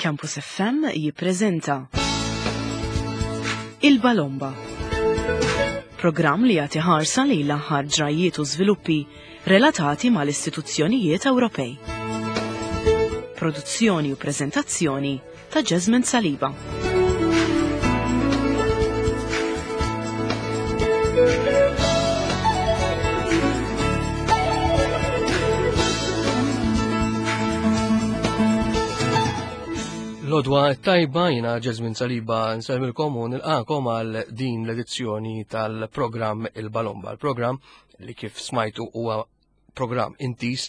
Campus FM jippreżenta Il-Balomba. Programm li jagħti ħarsa lejn l-aħħar ġrajjiet u żviluppi relatati mal-istituzzjonijiet Ewropej. Produzzjoni u preżentazzjoni ta' Jasmine Saliba. Lodwa tajba jina Jasmine Saliba nsellmilkom u nilqakom għal din l-edizzjoni tal-programm Il-Balomba. Il-programm li kif smajtu huwa programm intis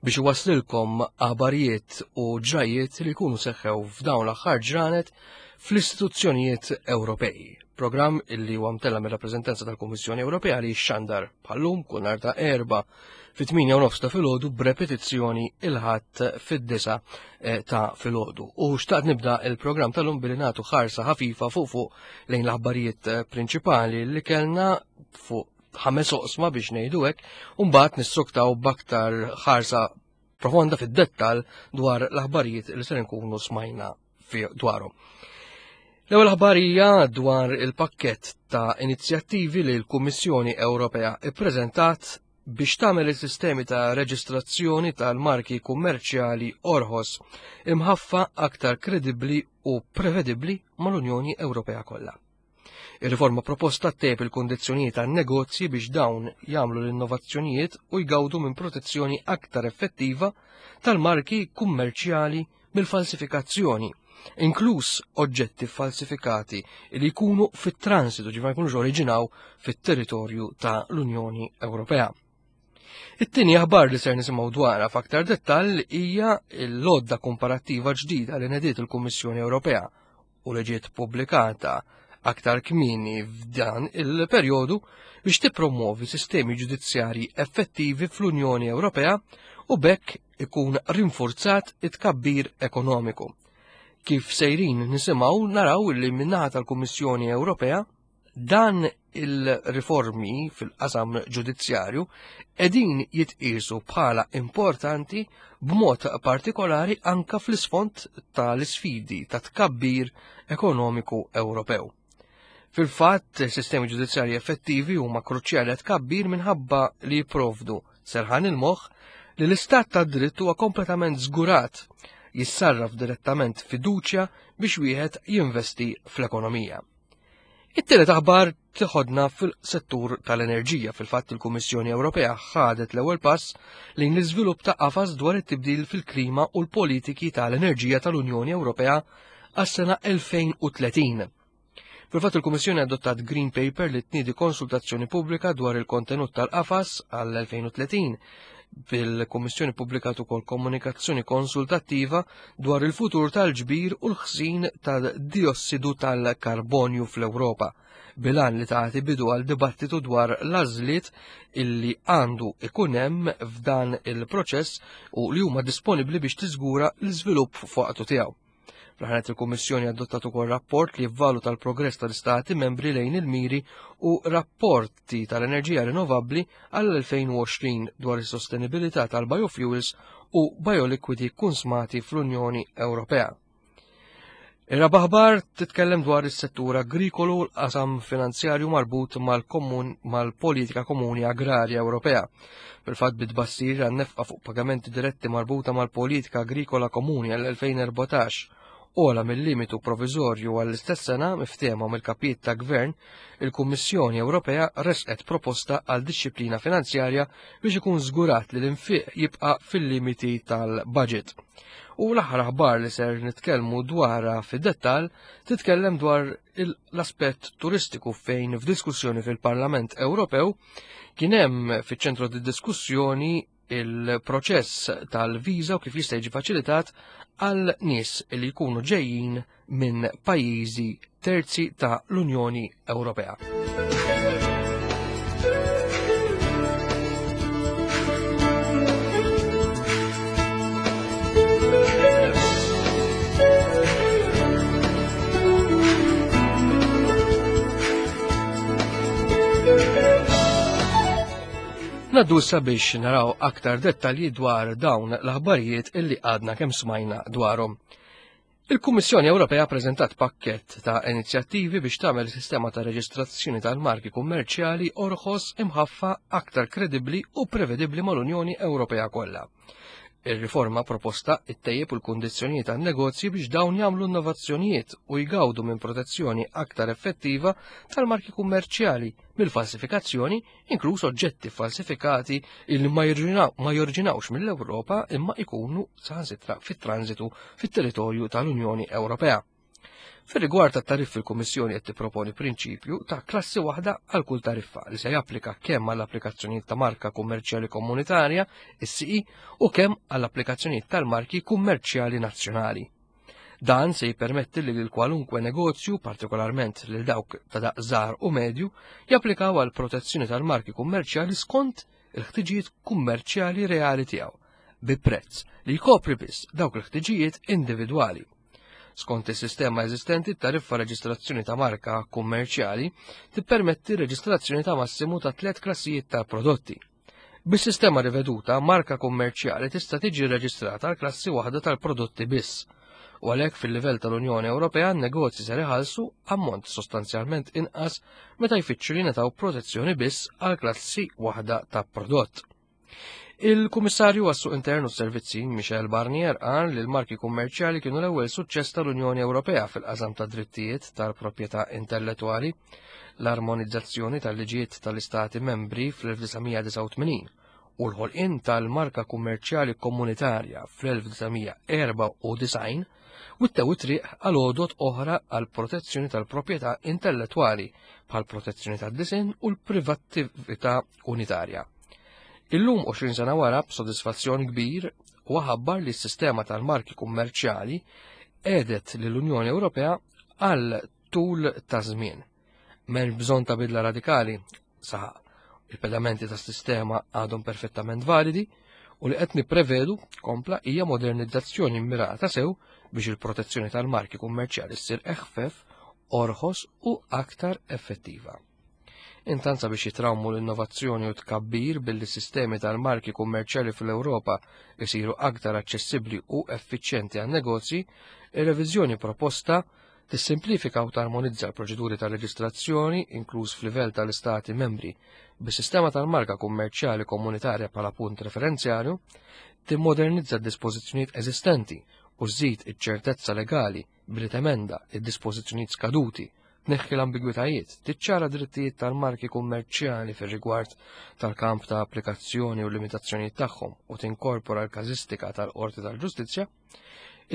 biex iwasslilkom aħbarijiet u ġrajiet li jkunu seħħew f'dawn l-aħħar ġranet fl-istituzzjonijiet Ewropej. Programm illi huwa mtella mir-rappreżentanza tal-Kummissjoni Ewropea li xandar bħallum kull nhar ta' erba' fit-8 u nofs ta' filgħodu b'repetizzjoni il-ħadd fid-disa eh, ta' filgħodu. U xtaqt nibda il-programm tal-lum billi nagħtu ħarsa ħafifa fuq fuq lejn l-aħbarijiet eh, prinċipali li kellna fuq ħames oqsma biex ngħidu hekk, u mbagħad nissuktaw b'aktar ħarsa profonda fid-dettal dwar l-aħbarijiet li ser nkunu smajna dwarhom. L-ewwel aħbarija dwar il-pakkett ta' inizjattivi li l-Kummissjoni Ewropea ippreżentat biex tagħmel is-sistemi ta' reġistrazzjoni tal-marki kummerċjali orħos imħaffa aktar kredibbli u prevedibbli mal-Unjoni Ewropea kollha. Ir-riforma proposta ttejjeb il-kundizzjonijiet għan-negozji biex dawn jagħmlu l-innovazzjonijiet u jgawdu minn protezzjoni aktar effettiva tal-marki kummerċjali mill-falsifikazzjoni, inkluż oġġetti falsifikati li jkunu fit-transitu ġifieri ma jkunux oriġinaw fit-territorju ta' l-Unjoni Ewropea. It-tieni aħbar li ser nisimgħu dwarha f'aktar dettall hija l-lodda komparattiva ġdida li nediet il-Kummissjoni Ewropea u li ġiet pubblikata aktar kmieni f'dan il-perjodu biex tippromovi sistemi ġudizzjarji effettivi fl-Unjoni Ewropea u bekk ikun rinforzat it-tkabbir ekonomiku. Kif sejrin nisimgħu naraw li min-naħa tal-Kummissjoni Ewropea Dan il-riformi fil-qasam ġudizzjarju edin jitqisu bħala importanti b'mod partikolari anka fl-isfond tal-isfidi ta' tkabbir ekonomiku Ewropew. Fil-fatt, sistemi ġudizzjarji effettivi huma kruċjali għat tkabbir minħabba li jipprovdu serħan il-moħħ li l-istat ta' dritt huwa kompletament żgurat jissarraf direttament fiduċja biex wieħed jinvesti fl-ekonomija. It-tielet aħbar tiħodna fil-settur tal-enerġija. Fil-fatt il-Kummissjoni Ewropea ħadet l-ewwel pass lejn l-iżvilupp ta' qafas dwar it-tibdil fil-klima u l-politiki tal-enerġija tal-Unjoni Ewropea għas-sena 2030. Fil-fatt il-Kummissjoni adottat Green Paper li tniedi konsultazzjoni pubblika dwar il-kontenut tal-qafas għall-2030 bil-Kummissjoni pubblikat ukoll komunikazzjoni konsultattiva dwar il-futur tal-ġbir u l-ħżin tal-diossidu tal-karbonju fl-Ewropa, bilan li tagħti bidu għal dibattitu dwar l-għażliet illi għandu ikun hemm f'dan il-proċess u li huma disponibbli biex tiżgura l-iżvilupp fuqtu tiegħu. Fl-ħanet il-Kummissjoni adottat ukoll rapport li jivvaluta l-progress tal-Istati membri lejn il-miri u rapporti tal-enerġija rinnovabbli għall-2020 dwar is-sostenibilità tal-biofuels u bioliquidi kunsmati fl-Unjoni Ewropea. Ir-raba' aħbar titkellem dwar is-settur agrikolu u l-qasam finanzjarju marbut mal-politika komuni agrarja Ewropea. Fil-fatt bit-tbassir għan-nefqa fuq pagamenti diretti marbuta mal-politika agrikola komuni għall-2014 ola mill-limitu provizorju għall-istess sena miftehma mill-kapijiet ta' gvern, il-Kummissjoni Ewropea resqet proposta għal dixxiplina finanzjarja biex ikun żgurat li l-infiq jibqa' fil-limiti tal-budget. U l-aħħar aħbar li ser nitkellmu dwarha fid-dettall titkellem dwar l-aspett turistiku fejn f'diskussjoni fil-Parlament Ewropew kien hemm fiċ-ċentru diskussjoni il-proċess tal-viża u kif jista' jiġi faċilitat għal nies li jkunu ġejjin minn pajjiżi terzi ta' l-Unjoni Ewropea. Naddu sabiex naraw aktar dettalji dwar dawn l-aħbarijiet illi għadna kemm smajna dwarhom. Il-Kummissjoni Ewropea preżentat pakkett ta' inizjattivi biex tagħmel sistema ta' reġistrazzjoni tal-marki kummerċjali orħos imħaffa aktar kredibbli u prevedibbli mal-Unjoni Ewropea kollha. Ir-riforma proposta ttejjeb il-kundizzjonijiet għan-negozji biex dawn jagħmlu innovazzjonijiet u jgawdu minn protezzjoni aktar effettiva tal-marki kummerċjali mill-falsifikazzjoni, inkluż oġġetti falsifikati li ma jorġinawx mill-Ewropa imma ikunu saħansitra fit-transitu fit-territorju tal-Unjoni Ewropea. Fir-rigward tat-tariffi l-Kummissjoni qed tipproponi prinċipju ta' klassi waħda għal kull tariffa li se japplika kemm għall applikazzjonijiet ta' marka kummerċjali komunitarja, is-CE, u kemm għall applikazzjonijiet tal-marki kummerċjali nazzjonali. Dan se jippermetti li lil kwalunkwe negozju, partikolarment lil dawk ta' daqs żgħar u medju, japplikaw għal protezzjoni tal-marki kummerċjali skont il-ħtiġijiet kummerċjali reali tiegħu, bi prezz li jkopri biss dawk il-ħtiġijiet individwali. Skont is-sistema eżistenti, tariffa reġistrazzjoni ta' marka kummerċjali tippermetti reġistrazzjoni ta' massimu ta' tliet klassijiet ta' prodotti. Bis-sistema riveduta, marka kummerċjali tista' tiġi rreġistrata għal klassi waħda tal-prodotti biss. U għalhekk fil-livell tal-Unjoni Ewropea n-negozji ser iħallsu ammont sostanzjalment inqas meta jfittxu li jingħataw protezzjoni biss għal klassi waħda ta' prodott. Il-Kummissarju għas-Suq Intern u s-Servizzi, Michel Barnier, qal li l-marki kummerċjali kienu l-ewwel suċċess tal-Unjoni Ewropea fil-qasam ta' drittijiet tal-proprjetà intellettwali, l-armonizzazzjoni tal-liġijiet tal-Istati membri fl-1989 u l-ħolqien tal-marka kummerċjali komunitarja fl-1994 wittew it-triq għal għodot oħra għal protezzjoni tal-proprjetà intellettwali bħal protezzjoni tad-disinn u l-privattività unitarja. Illum 20 sena wara b'sodisfazzjon kbir huwa ħabbar li s-sistema tal-marki kummerċjali għedet lill-Unjoni Ewropea għal tul ta' żmien. M'hemmx bżonn ta' bidla radikali, saħaq. Il-pedamenti tas-sistema għadhom perfettament validi u li qed nipprevedu kompla hija modernizzazzjoni mmirata sew biex il-protezzjoni tal-marki kummerċjali ssir eħfef, orħos u aktar effettiva. Intant sabiex jitrawmu l-innovazzjoni u tkabbir billi sistemi tal-marki kummerċjali fl-Ewropa jsiru aktar aċċessibbli u effiċjenti għan-negozji, ir-reviżjoni proposta tissimplifika u tarmonizza l-proċeduri ta' reġistrazzjoni, inkluż f'livell tal-Istati membri, bis-sistema tal-marka kummerċjali komunitarja bħala punt referenzjarju, timmodernizza d-dispożizzjonijiet eżistenti u żżid iċ-ċertezza legali billi temenda id-dispożizzjonijiet skaduti, tneħħi l-ambigwitajiet, tiċċara drittijiet tal-marki kummerċjali fir-rigward tal-kamp ta' applikazzjoni u limitazzjonijiet tagħhom u tinkorpora l-każistika tal-Qorti tal-Ġustizzja,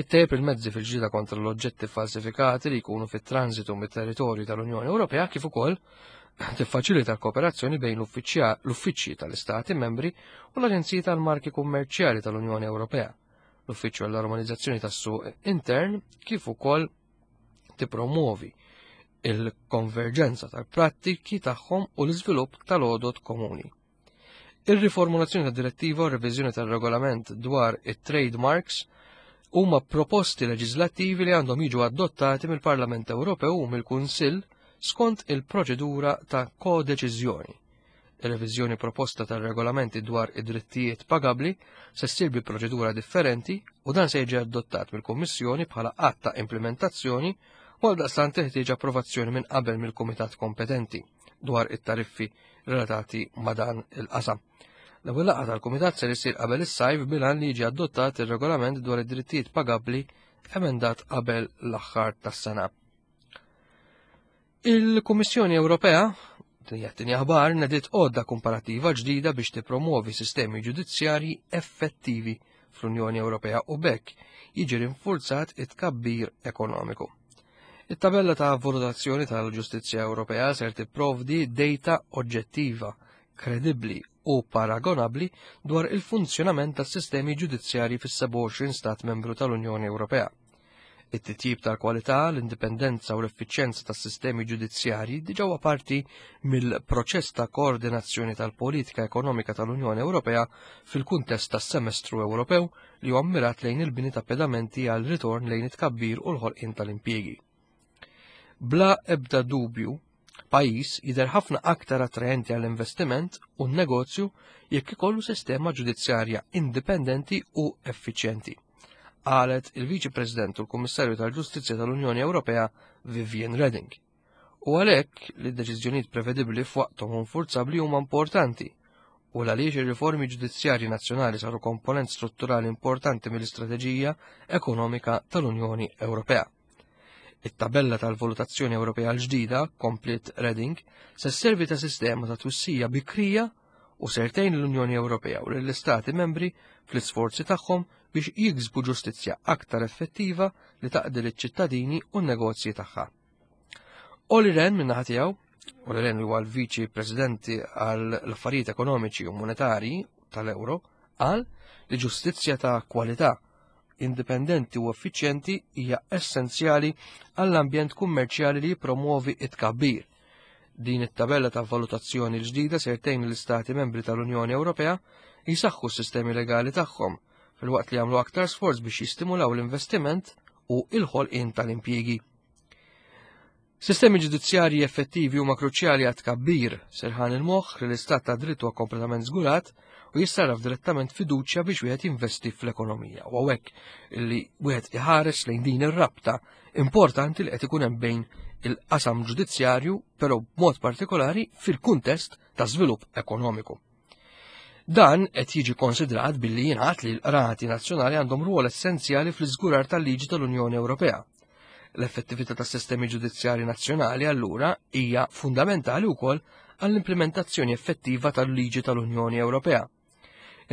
ittejjeb il-mezzi fil-ġlieda kontra l-oġġetti falsifikati li jkunu fit-transitu mit-territorju tal-Unjoni Ewropea kif ukoll tiffaċilita l-kooperazzjoni bejn l-uffiċċji tal-Istati membri u l-Aġenziji tal-Marki Kummerċjali tal-Unjoni Ewropea l-Uffiċċju għall-Armonizzazzjoni tas-Suq Intern kif ukoll tippromuovi il-konverġenza tal-prattiki tagħhom u l-iżvilupp tal-għodod komuni. Ir-riformulazzjoni tad-direttiva u r-reviżjoni tar-regolament dwar it-trademarks huma proposti leġislattivi li għandhom jiġu adottati mill-Parlament Ewropew u mill-Kunsill skont il-proċedura ta' kodeċiżjoni. Ir-reviżjoni proposta tar-regolamenti dwar id-drittijiet pagabbli se ssir bi proċedura differenti u dan se jiġi adottat mill-Kummissjoni bħala att ta' implementazzjoni u għaldaqstant teħtieġ approvazzjoni minn qabel mill-kumitat kompetenti dwar it-tariffi relatati ma' dan il-qasam. L-ewwel laqgħa tal-kumitat ser isir qabel is-sajf bil-għan li jiġi adottat ir-regolament dwar id-drittijiet pagabbli emendat qabel l-aħħar tas-sena. Il-Kummissjoni Ewropea, din hija t-tieni aħbar, nediet għodda komparattiva ġdida biex tippromuovi sistemi ġudizzjarji effettivi fl-Unjoni Ewropea u b'hekk jiġi rinfurzat it-tkabbir ekonomiku. It-tabella ta' valutazzjoni tal-Ġustizzja Ewropea ser tipprovdi data oġġettiva, kredibbli u paragonabbli dwar il-funzjonament tas-sistemi ġudizzjarji fis-27 stat membru tal-Unjoni Ewropea. It-titjib tal-kwalità, l-indipendenza u l-effiċjenza tas-sistemi ġudizzjarji diġà huwa parti mill-proċess ta' koordinazzjoni tal-politika ekonomika tal-Unjoni Ewropea fil-kuntest tas-Semestru Ewropew li huwa mmirat lejn il-bini ta' pedamenti għal ritorn lejn it-tkabbir u l-ħolqien tal-impjiegi. Bla ebda dubju, pajjiż jidher ħafna aktar attraenti għall-investiment u n-negozju jekk ikollu sistema ġudizzjarja indipendenti u effiċjenti. qalet il-Viċi President u l-Kummissarju tal-Ġustizzja tal-Unjoni Ewropea Vivian Reding. U għalhekk li d-deċiżjonijiet prevedibbli f'waqthom u nfurzabbli huma importanti u l-għaliex ir-riformi ġudizzjarji nazzjonali saru komponent strutturali importanti mill-istrateġija ekonomika tal-Unjoni Ewropea. It-tabella tal-valutazzjoni Ewropea l-ġdida, kompliet Reding, se sservi ta' sistema ta' twissija bikrija u ser tgħin l-Unjoni Ewropea u lill-Istati membri fl-isforzi tagħhom biex jiksbu ġustizzja aktar effettiva li taqdi liċ-ċittadini u n-negozji tagħha. Olli Rehn min-naħa tiegħu, Olli Rehn li huwa l-Viċi Presidenti għall affarijiet Ekonomiċi u Monetarji tal-Euro, qal li ġustizzja ta' kwalità indipendenti u effiċjenti hija essenzjali għall-ambjent kummerċjali li jippromuovi it-tkabbir. Din it-tabella ta' valutazzjoni l-ġdida ser tgħin l-Istati membri tal-Unjoni Ewropea jsaħħu s-sistemi legali tagħhom filwaqt li jagħmlu aktar sforz biex jistimulaw l-investiment u l-ħolqien tal-impjiegi. Sistemi ġudizzjarji effettivi huma kruċjali għat tkabbir, serħan il-moħħ li l-istat ta' dritt huwa kompletament żgurat u jissarraf direttament fiduċja biex wieħed jinvesti fl-ekonomija. U hawnhekk li wieħed iħares lejn din ir-rabta importanti li qed ikun hemm bejn il-qasam ġudizzjarju, però b'mod partikolari fil-kuntest ta' żvilupp ekonomiku. Dan qed jiġi konsidrat billi jingħad li l-qrati nazzjonali għandhom rwol essenzjali fl-iżgurar tal-liġi tal-Unjoni Ewropea. L-effettività tas-sistemi ġudizzjarji nazzjonali allura hija fundamentali wkoll għall-implementazzjoni effettiva tal-liġi tal-Unjoni Ewropea.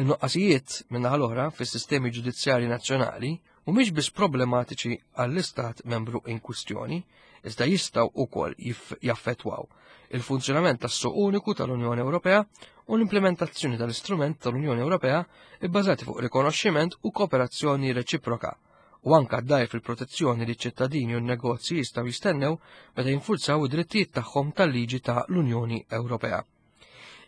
In-nuqqasijiet min-naħa l-oħra fis-sistemi ġudizzjarji nazzjonali mhumiex biss problematiċi għall-istat membru in kwistjoni, iżda jistgħu wkoll jaffettwaw il-funzjonament tas-suq uniku tal-Unjoni Ewropea u l-implementazzjoni tal-istrument tal-Unjoni Ewropea bbażati fuq rikonoxximent u kooperazzjoni reċiproka u anka ddajf il-protezzjoni li ċ-ċittadini u n-negozji jistgħu jistennew meta jinfurzaw id-drittijiet tagħhom tal-liġi ta' l-Unjoni Ewropea.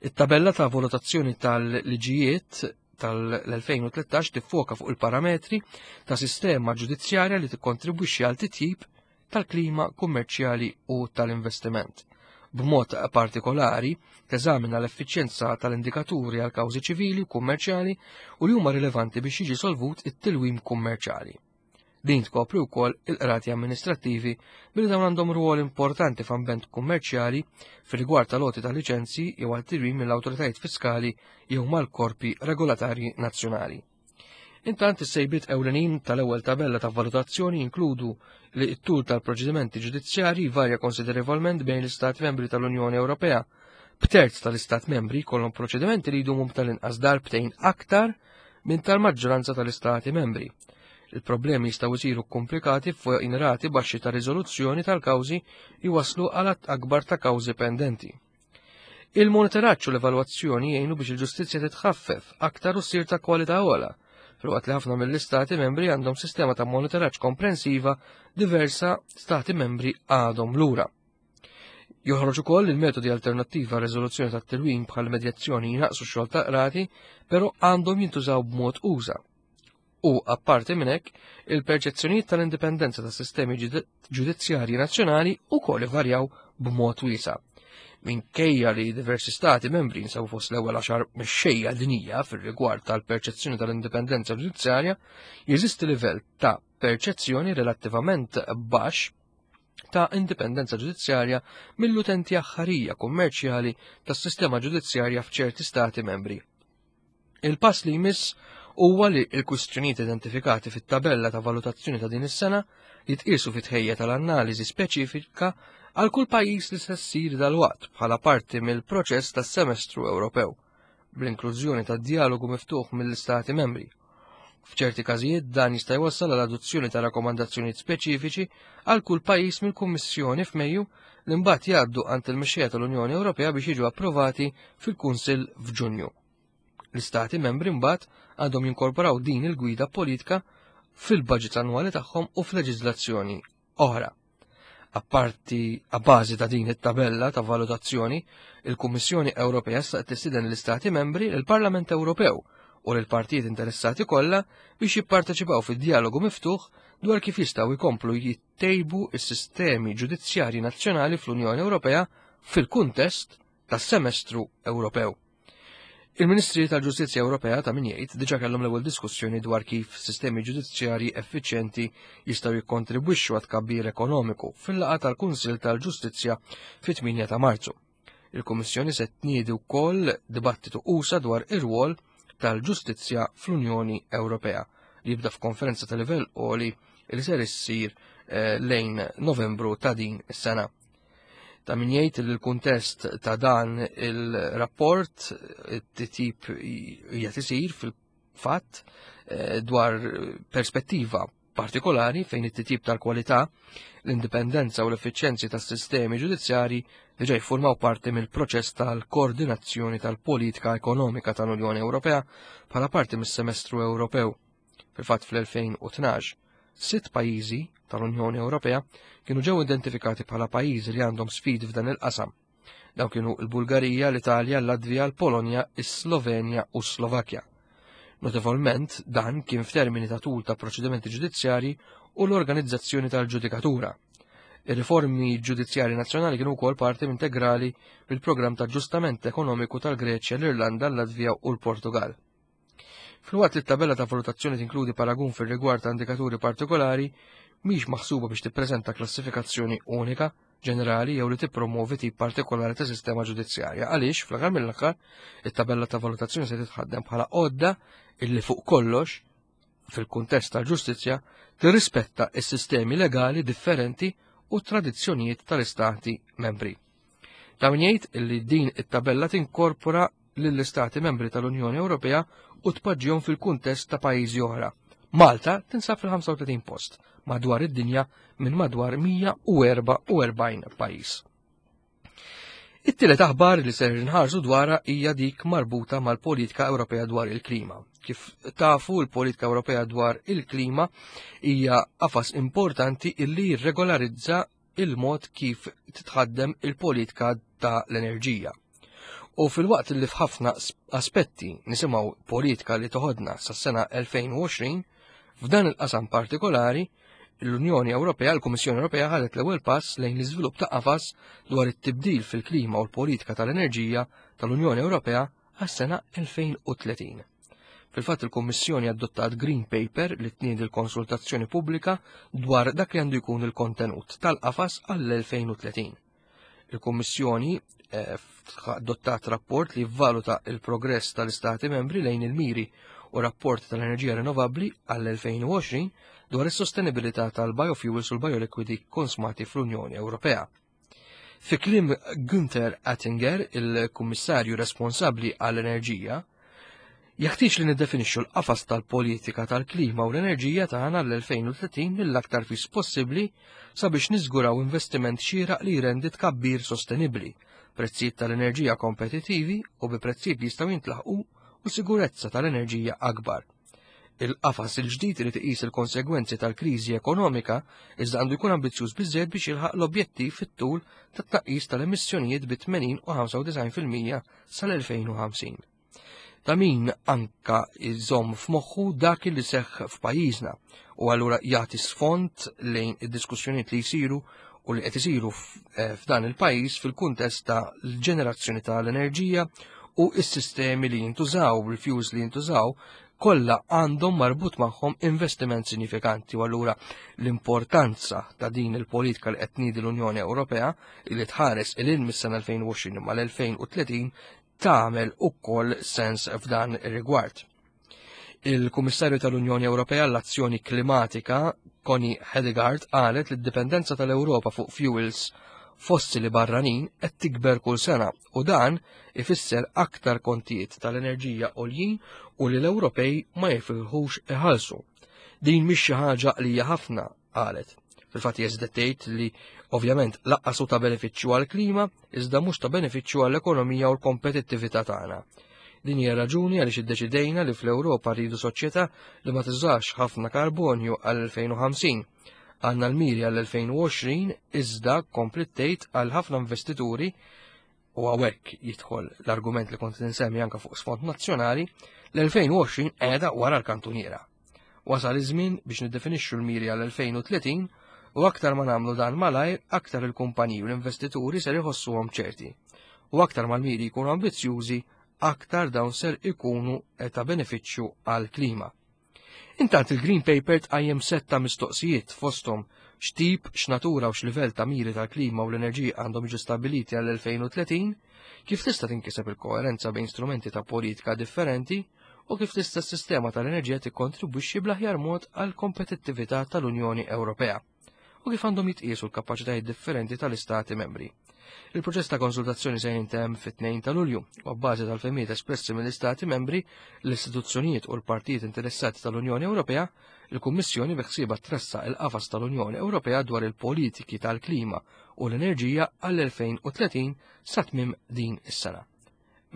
It-tabella ta' valutazzjoni tal-liġijiet tal-2013 tiffoka fuq il-parametri ta' sistema ġudizzjarja li tikkontribwixxi għal titjib tal-klima kummerċjali u tal-investiment. B'mod partikolari, teżamina l-effiċjenza tal-indikaturi għal kawżi ċivili u kummerċjali u li huma rilevanti biex jiġi solvut it-tilwim kummerċjali. Din tkopri wkoll il-qrati amministrattivi billi dawn għandhom rwol importanti f'ambent kummerċjali fir-rigward tal-għoti ta' liċenzji jew għal tilwim mill-awtoritajiet fiskali jew mal-korpi regolatarji nazzjonali. Intant is-sejbiet ewlenin tal-ewwel tabella ta' valutazzjoni jinkludu li t-tul tal-proċedimenti ġudizzjarji varja konsiderevolment bejn l-Istati membri tal-Unjoni Ewropea, b'terz tal-Istat membri jkollhom proċedimenti li jdumu tal-inqas darbtejn aktar minn tal-maġġoranza tal-Istati membri. Il-problemi jistgħu jsiru komplikati fuq rati baxxi ta' riżoluzzjoni tal-kawżi jwasslu għal għadd akbar ta' kawżi pendenti. Il-monitoraġġ u l-evalwazzjoni jgħinu biex il-ġustizzja titħaffef aktar u ssir ta' kwalità ogħla, filwaqt li ħafna mill-istati membri għandhom sistema ta' monitoraġġ komprensiva diversa stati membri għadhom lura. Joħroġ ukoll il-metodi alternattivi għal riżoluzzjoni tat-tilwim bħal medjazzjoni jnaqsu x-xogħol ta' qrati, però għandhom jintużaw b'mod uża. U, apparti minn hekk, il-perċezzjonijiet tal-indipendenza tas sistemi ġudizzjarji nazzjonali wkoll ivarjaw b'mod wiesa'. Minkejja li diversi stati membri jinsabu fost l-ewwel għaxar mexxejja dinija fir-rigward tal-perċezzjoni tal-indipendenza ġudizzjarja, jeżisti livell ta' perċezzjoni relattivament baxx ta' indipendenza ġudizzjarja mill-utenti aħħarija kummerċjali tas-sistema ġudizzjarja f'ċerti stati membri. Il-pass li jmiss huwa li l-kwistjonijiet identifikati fit-tabella ta' valutazzjoni ta' din is-sena jitqiesu fit-tħejja tal-analiżi speċifika għal kull pajjiż li se ssir dalwaqt bħala parti mill-proċess tas-semestru Ewropew, bl-inklużjoni ta' djalogu miftuħ mill-Istati membri. F'ċerti każijiet dan jista' jwassal għal adozzjoni ta' rakkomandazzjonijiet speċifiċi għal kull pajjiż mill-Kummissjoni f'Mejju li mbagħad jgħaddu għand il-mexxejja tal-Unjoni Ewropea biex jiġu approvati fil-Kunsill f'Ġunju. L-Istati membri mbagħad għandhom jinkorporaw din il-gwida politika fil-budget annwali tagħhom u f'leġiżlazzjoni oħra. Apparti a bażi ta' din it-tabella ta' valutazzjoni, il-Kummissjoni Ewropea sa tistieden l-Istati membri, il-Parlament Ewropew u l-partijiet interessati kollha biex jipparteċipaw fid-dialogu miftuħ dwar kif jistgħu jkomplu jittejbu s-sistemi ġudizzjarji nazzjonali fl-Unjoni Ewropea fil-kuntest tas-semestru Ewropew. Il-Ministri tal-Ġustizzja Ewropea ta' min jgħid diġà kellhom l-ewwel diskussjoni dwar kif sistemi ġudizzjarji effiċjenti jistgħu jikkontribwixxu għat tkabbir ekonomiku fil-laqgħa tal-Kunsill tal-Ġustizzja fit-8 ta' Marzu. Il-Kummissjoni se tniedi wkoll dibattitu usa dwar ir-rwol tal-ġustizzja fl-Unjoni Ewropea li jibda f'konferenza ta' livell għoli li ser issir eh, lejn Novembru ta' din is-sena. Ta' min jgħid li l-kuntest ta' dan il-rapport it-tip qiegħed isir fil-fatt eh, dwar perspettiva partikolari fejn it-titjib tal-kwalità, l-indipendenza u l-effiċjenzi tas-sistemi ġudizzjari diġà jiffurmaw parti mill-proċess tal-koordinazzjoni tal-politika ekonomika tal-Unjoni Ewropea bħala parti mis-semestru Ewropew. Fil-fatt fl-2012, sitt pajjiżi tal-Unjoni Ewropea kienu ġew identifikati bħala pajjiżi li għandhom sfidi f'dan il-qasam. Dawn kienu l-Bulgarija, l-Italja, l-Latvija, l-Polonja, is-Slovenja u s-Slovakkja. Notevolment, dan kien f'termini ta' tul ta' proċedimenti ġudizzjarji u l-organizzazzjoni tal-ġudikatura. Ir-riformi ġudizzjarji nazzjonali kienu wkoll parti integrali mill-programm ta' ġustament ekonomiku tal-Greċja, l-Irlanda, l-Latvija u l-Portugal. Filwaqt li t-tabella ta' valutazzjoni tinkludi paragun fir-rigward ta' indikaturi partikolari, mhix maħsuba biex tippreżenta klassifikazzjoni unika, ġenerali jew li tippromovi tip partikolari ta' sistema ġudizzjarja. Għaliex, fl-aħħar mill-aħħar, it-tabella ta' valutazzjoni se titħaddem bħala għodda illi fuq kollox, fil-kuntest tal-ġustizzja, tirrispetta s-sistemi legali differenti u tradizzjonijiet tal-istati membri. Ta' min jgħid li din it-tabella tinkorpora lill-Istati membri tal-Unjoni Ewropea u tpoġġihom fil-kuntest ta' pajjiżi oħra. Malta tinsab fil-35 post madwar id-dinja minn madwar 144 pajjiż. It-tielet aħbar li ser nħarsu dwarha hija dik marbuta mal-politika Ewropea dwar il-klima. Kif tafu l-politika Ewropea dwar il-klima hija qafas importanti illi jirregolarizza il-mod kif titħaddem il-politika ta' l-enerġija. U fil-waqt li f'ħafna aspetti nisimgħu politika li toħodna sas-sena 2020, f'dan il-qasam partikolari, l-Unjoni Ewropea, l-Kummissjoni Ewropea ħadet l-ewwel pass lejn l-iżvilupp ta' qafas dwar it-tibdil fil-klima u l-politika tal-enerġija tal-Unjoni Ewropea għas-sena 2030. Fil-fatt il-Kummissjoni adottat Green Paper li tniedi l-konsultazzjoni pubblika dwar dak li għandu jkun il-kontenut tal-qafas għall-2030. Il-Kummissjoni eh, adottat rapport li valuta il-progress tal-Istati membri lejn il-miri u rapport tal-enerġija rinnovabbli għall-2020 dwar is-sostenibilità tal-biofuels u l-bioliquidi konsmati fl-Unjoni Ewropea. Fi kliem Günther Oettinger, il-Kummissarju responsabbli għall-enerġija, jeħtieġ li niddefinixxu l-qafas tal-politika tal-klima u l-enerġija tagħna l-2030 mill-aktar fis possibbli sabiex niżguraw investiment xieraq li jrendi tkabbir sostenibbli, prezzijiet tal-enerġija kompetittivi u bi prezzijiet li jistgħu jintlaħqu u sigurezza tal-enerġija akbar. Il-qafas il-ġdid irid iqis il-konsegwenzi tal-kriżi ekonomika iżda għandu jkun ambizzjuż biżżejjed biex jilħaq l-objettiv fit-tul ta' tnaqqis tal-emissjonijiet bi 80 u 95% sal-2050. Ta' min anka jżomm f'moħħu dak li seħħ f'pajjiżna u allura jagħti sfond lejn id-diskussjonijiet li jsiru u li qed isiru eh, f'dan il-pajjiż fil-kuntest ta' l-ġenerazzjoni tal-enerġija u s-sistemi li jintużaw, il-fuels li jintużaw kollha għandhom marbut magħhom investiment sinifikanti u allura l-importanza ta' din il-politika li qed tniedi l-Unjoni Ewropea li tħares il mis-sena 2020 mal-2030 tagħmel ukoll sens f'dan ir-rigward. Il-Kummissarju tal-Unjoni Ewropea l-Azzjoni Klimatika, Connie Hedegaard, qalet li d-dipendenza tal-Ewropa fuq fuels fossili barranin qed tikber kull sena u dan ifisser aktar kontijiet tal-enerġija għoljin u li l-Ewropej ma jifilħux iħallsu. Din mhix xi ħaġa li hija ħafna, qalet. Fil-fatt jeżdet tgħid li ovvjament laqqas hu ta' benefiċċju għall-klima, iżda mhux ta' benefiċċju għall-ekonomija u l-kompetittività tagħna. Din hija raġuni għaliex iddeċidejna li fl-Ewropa rridu soċjetà li ma tużax ħafna karbonju għall-2050. Għandna l-miri għall-2020 iżda komplet tgħid għal ħafna investituri u hawnhekk jidħol l-argument li kont insemmi anke fuq sfond nazzjonali, l-2020 qiegħda wara l-kantuniera. Wasal iż-żmien biex niddefinixxu l-miri għal-2030 u aktar ma nagħmlu dan malajr, aktar il-kumpaniji u l-investituri ser iħossuhom ċerti. U aktar ma l-miri jkunu ambizzjużi, aktar dawn ser ikunu ta' benefiċċju għall-klima. Intant il-Green Paper tqajjem sett ta' mistoqsijiet fosthom x'tip, x'natura u x'livell ta' miri tal-klima u l-enerġija għandhom jiġu stabbiliti għall-2030, kif tista' tinkiseb il-koerenza bejn strumenti ta' politika differenti u kif tista' s-sistema tal-enerġija tikkontribwixxi bl-aħjar mod għall-kompetittività tal-Unjoni Ewropea u kif għandhom jitqiesu l-kapaċitajiet differenti tal-Istati membri. Il-proċess ta' konsultazzjoni se jintemm fit-2 ta' Lulju u abbażi tal-fehmiet espressi mill-Istati membri, l-istituzzjonijiet u l-partijiet interessati tal-Unjoni Ewropea, il-Kummissjoni biħsiebha tressaq il-qafas tal-Unjoni Ewropea dwar il-politiki tal-klima u l-enerġija għall-2030 sa tmiem din is-sena.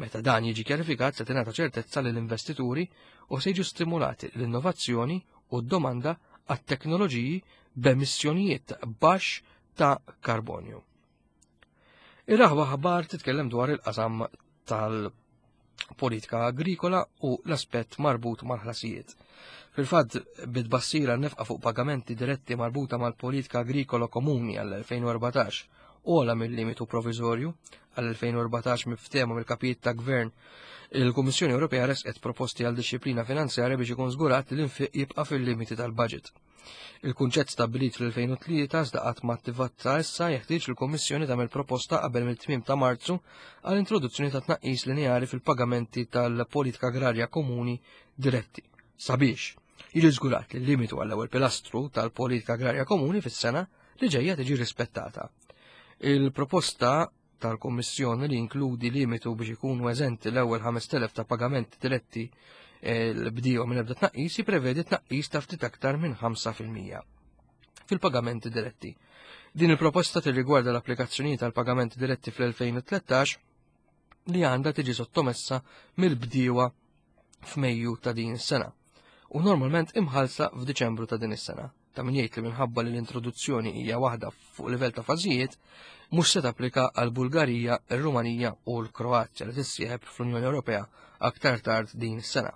Meta dan jiġi kjarifikat se tingħata ċertezza lill-investituri u se jiġu stimulati l-innovazzjoni u d-domanda għat-teknoloġiji b'emissjonijiet baxx ta' karbonju. Ir-raħba ħabar titkellem dwar il-qasam tal-politika agrikola u l-aspett marbut mal-ħlasijiet. Fil-fatt, bit-tbassira nefqa fuq pagamenti diretti marbuta mal-politika agrikola komuni għall-2014 ogħla mill-limitu provizorju għall-2014 miftehma mill-kapijiet ta' gvern, il-Kummissjoni Ewropea resqet proposti għal dixxiplina finanzjarja biex ikun żgurat li l-infiq jibqa' fil-limiti tal-budget. Il-kunċett stabbilit fl-2003 iżda qatt ma attivat sa issa jeħtieġ li l-Kummissjoni tagħmel proposta qabel mill-tmiem ta' Marzu għal introduzzjoni ta' tnaqqis lineari fil-pagamenti tal-politika agrarja komuni diretti sabiex jiġi żgurat li l-limitu għall-ewwel pilastru tal-politika agrarja komuni fis-sena li ġejja tiġi rispettata. Il-proposta tal-Kummissjoni li jinkludi limitu biex ikunu eżenti l-ewwel 5,000 ta' pagamenti diretti l-bdiewa minn ebda tnaqqis jipprevedi tnaqqis ta' ftit aktar minn 5% fil-pagamenti diretti. Din il-proposta tirrigwarda l-applikazzjonijiet tal-pagamenti diretti fl-2013 li għandha tiġi sottomessa mill-bdiewa f'Mejju ta' din is-sena u normalment imħallsa f'Diċembru ta' din is-sena. Ta' min jgħid li minħabba li l-introduzzjoni hija waħda fuq livell ta' fażijiet, mhux se tapplika għal Bulgarija, ir-Rumanija u l-Kroazja li tissieħeb fl-Unjoni Ewropea aktar tard din is-sena.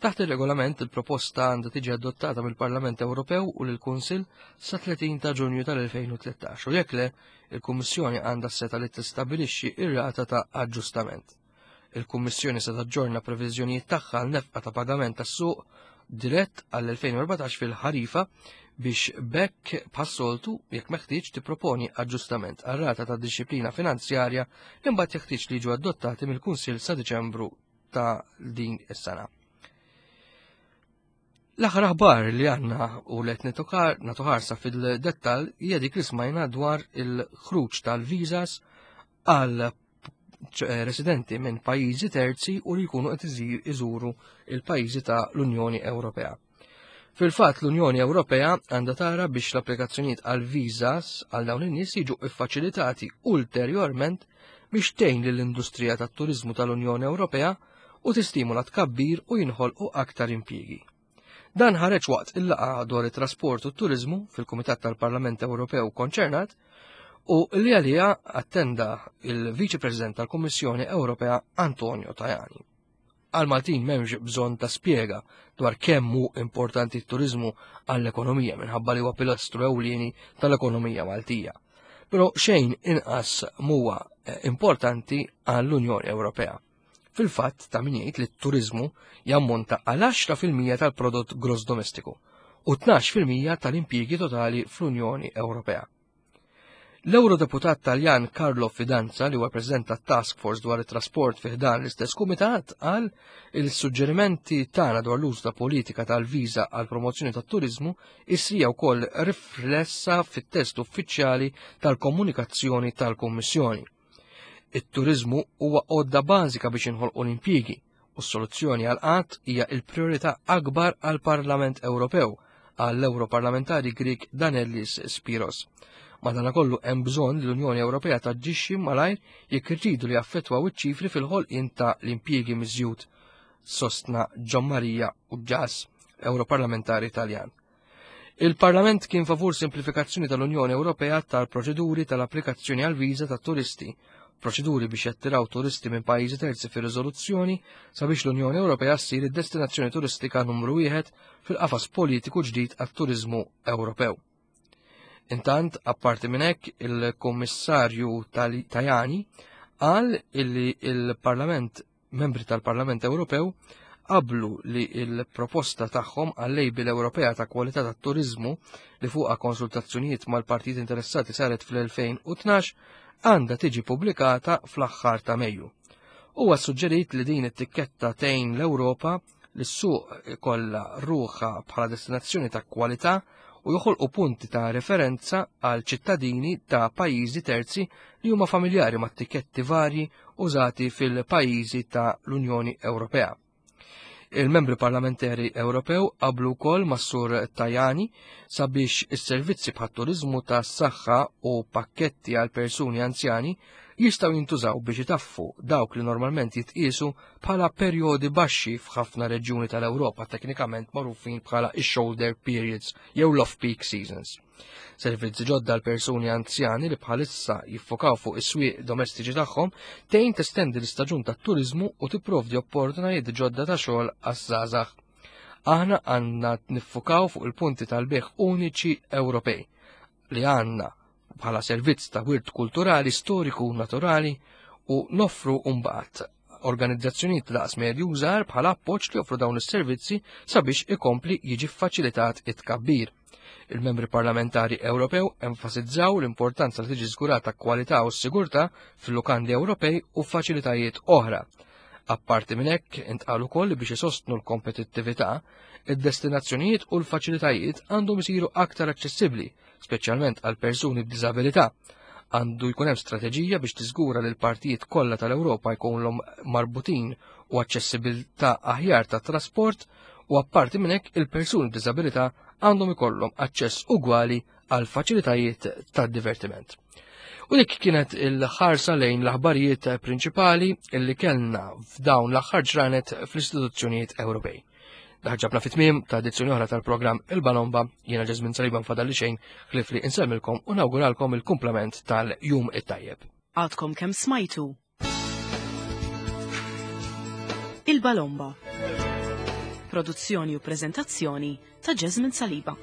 Taħt ir-regolament, il-proposta għandha tiġi adottata mill-Parlament Ewropew u lill-Kunsill sa 30 ta' Ġunju tal-2013 u jekk le, il-Kummissjoni għandha s-setgħa li tistabbilixxi r-rata ta' aġġustament. Il-Kummissjoni se taġġorna previżjonijiet tagħha għal nefqa ta' pagament tas-suq dirett għall-2014 fil-ħarifa biex b'hekk bħas-soltu jekk meħtieġ tipproponi aġġustament għar-rata ta' dixxiplina finanzjarja li mbagħad jeħtieġ li jiġu adottati mill-Kunsill sa Diċembru ta' din is-sena. L-aħħar aħbar li għandna u li qed nagħtu ħarsa fil-dettall hija dik li smajna dwar il-ħruġ tal-visas għal residenti minn pajjiżi terzi u li jkunu qed iżuru il-pajjiżi ta' l-Unjoni Ewropea. Fil-fatt l-Unjoni Ewropea għandha tara biex l-applikazzjonijiet għal visas għal dawn in-nies jiġu iffaċilitati ulterjorment biex tgħin lill-industrija tat-turiżmu tal-Unjoni Ewropea u tistimula tkabbir u jinħolqu aktar impjiegi. Dan ħareġ waqt il-laqgħa dwar it-trasport u t-turiżmu fil-Kumitat tal-Parlament Ewropew konċernat u li għaliha attenda il-Viċi President tal-Kummissjoni Ewropea Antonio Tajani. Għal Maltin m'hemmx bżonn ta' spjega dwar kemm hu importanti t-turiżmu għall-ekonomija minħabba li huwa pilastru ewlieni tal-ekonomija Maltija. Però xejn inqas m'huwa importanti għall-Unjoni Ewropea. Fil-fatt ta' min jgħid li t-turiżmu jammonta għal 10% tal-prodott gross domestiku u 12% tal-impjiegi totali fl-Unjoni Ewropea. L-Eurodeputat Taljan Carlo Fidanza, li huwa President tat-Task Force dwar it-trasport fi ħdan l-istess kumitat, qal il-suġġerimenti tagħna dwar l-użu ta' politika tal-viża għal promozzjoni tat-turiżmu issija wkoll riflessa fit-test uffiċjali tal-komunikazzjoni tal-Kummissjoni. It-turiżmu huwa għodda bażika biex inħolqu l-impjiegi u s-soluzzjoni għal qatt hija l-priorità akbar għall-Parlament Ewropew, qal l-Ewroparlamentari Grieg Danellis Spiros. Madanakollu hemm bżonn li l-Unjoni Ewropea taġġixxi malajr jekk irridu li jaffettwaw iċ-ċifri fil-ħolqien ta' l-impjiegi miżjud, sostna Gian Maria Uġġas, Ewroparlamentari Taljan. Il-Parlament kien favur simplifikazzjoni tal-Unjoni Ewropea tal-proċeduri tal-applikazzjoni għal viża tat-turisti, proċeduri biex jattiraw turisti minn pajjiżi terzi fir-riżoluzzjoni sabiex l-Unjoni Ewropea ssir id-destinazzjoni turistika numru wieħed fil-qafas politiku ġdid għat-turiżmu Ewropew. Intant, apparti minn hekk, il-Kummissarju Tajani qal illi il-Parlament Membri tal-Parlament Ewropew qablu li l-proposta tagħhom għal label Ewropea ta' kwalità tat-turiżmu li fuqha konsultazzjonijiet mal-partijiet interessati saret fl-2012 għandha tiġi pubblikata fl-aħħar ta' Mejju. Huwa suġġerit li din it-tikketta tgħin l-Ewropa li s-suq ikollha ruħha bħala destinazzjoni ta' kwalità u joħolqu punti ta' referenza għal ċittadini ta' pajjiżi terzi li huma familjari ma' tikketti varji użati fil-pajjiżi ta' l-Unjoni Ewropea. Il-membri parlamentari Ewropew qablu wkoll mas-Sur Tajani sabiex is-servizzi bħat-turiżmu tas-saħħa u pakketti għal persuni anzjani jistgħu jintużaw biex itaffu dawk li normalment jitqiesu bħala perjodi baxxi f'ħafna reġjuni tal-Ewropa teknikament magħrufin bħala x-shoulder periods jew l-off-peak seasons. Servizzi ġodda għal persuni anzjani li bħalissa jiffokaw fuq is-swieq domestiċi tagħhom tgħin testendi l-istaġun tat-turiżmu u tipprovdi opportunitajiet ġodda ta' xogħol għaż-żgħażagħ. Aħna għandna niffukaw fuq il-punti tal-bejgħ uniċi Ewropej li għandna bħala servizz ta' wirt kulturali, storiku u naturali u noffru mbagħad organizzazzjonijiet ta' daqs medju żgħar bħala appoġġ li joffru dawn is-servizzi sabiex ikompli jiġi ffaċilitat it-tkabbir. Il-membri parlamentari Ewropew enfasizzaw l-importanza li tiġi żgurata kwalità u s-sigurtà fil-lukandi Ewropej u faċilitajiet oħra. Apparti minn hekk, intqal ukoll li biex isostnu l-kompetittività, id-destinazzjonijiet u l-faċilitajiet għandhom isiru aktar aċċessibbli, speċjalment għal persuni b'diżabilità. Għandu jkun hemm strateġija biex tiżgura li l-partijiet kollha tal-Ewropa jkunlhom marbutin u aċċessibilità aħjar tat trasport u apparti minn hekk il-persuni b'diżabilità għandhom ikollhom aċċess ugwali għal faċilitajiet tad-divertiment. U dik kienet il-ħarsa lejn l-aħbarijiet prinċipali illi kellna f'dawn l-aħħar ġranet fl-istituzzjonijiet Ewropej. Daħġabna fit-tmiem ta' edizzjoni oħra tal-programm Il-Balomba, jiena Ġeżmin Saliba nfadal li xejn ħlief li insellmilkom u nawguralkom il-kumplament tal-jum it-tajjeb. Għadkom kemm smajtu Il-Balomba. Produzzjoni u preżentazzjoni ta' Jasmine Saliba.